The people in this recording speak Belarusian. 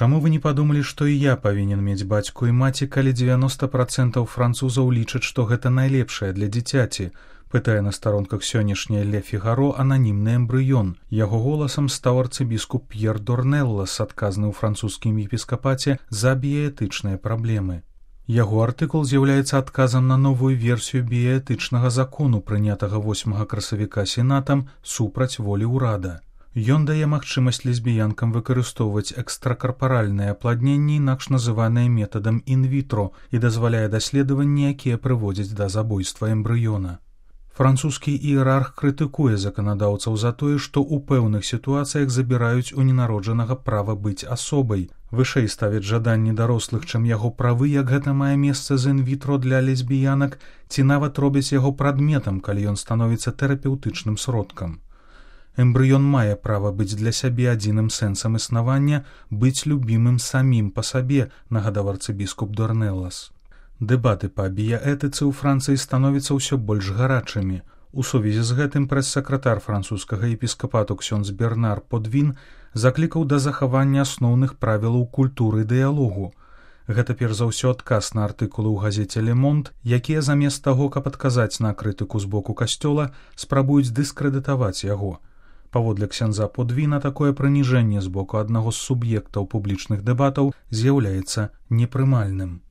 Чаму вы не падумалі, што і я павінен мець бацьку і маці, калі 90% французаў лічаць, што гэта найлепшае для дзіцяці? Пытае на старонках сённяшняй Ле Фігаро ананімны эмбрыён. Яго голасам стаў арцыбіскуп П'ер Дорнеллас, адказны ў французскім епіскапаце за біяэтычныя праблемы. Яго артыкул з'яўляецца адказам на новую версію біяэтычнага закону, прынятага 8 красавіка сенатам супраць волі ўрада. Ён дае магчымасць лесбіянкам выкарыстоўваць экстракарпаральнае апладненне, інакш называнае метадам ін-вітро, і дазваляе даследаванні, якія прыводзяць да забойства эмбрыёна. Французскі іерарх крытыкуе заканадаўцаў за тое, што ў пэўных сітуацыях забіраюць у ненароджанага права быць асобай. Вышэй ставяць жаданні дарослых, чым яго правы, як гэта мае месца з ін-вітро для лесбіянак, ці нават робяць яго прадметам, калі ён становіцца тэрапеўтычным сродкам. Эмбрыён мае права быць для сябе адзіным сэнсам існавання, быць любімым самім па сабе, нагадаў арцыбіскуп Дорнеллас. Дэбаты па біяэтыцы ў Францыі становяцца ўсё больш гарачымі. У сувязі з гэтым прэс-сакратар французскага епіскапату ксёндз Бернар Подвін заклікаў да захавання асноўных правілаў культуры дыялогу. Гэта перш за ўсё адказ на артыкулы ў газеце «Ле Монт», якія замест таго, каб адказаць на крытыку з боку касцёла, спрабуюць дыскрэдытаваць яго. Паводле ксяндза Подвіна, такое прыніжэнне з боку аднаго з суб'ектаў публічных дэбатаў з'яўляецца непрымальным.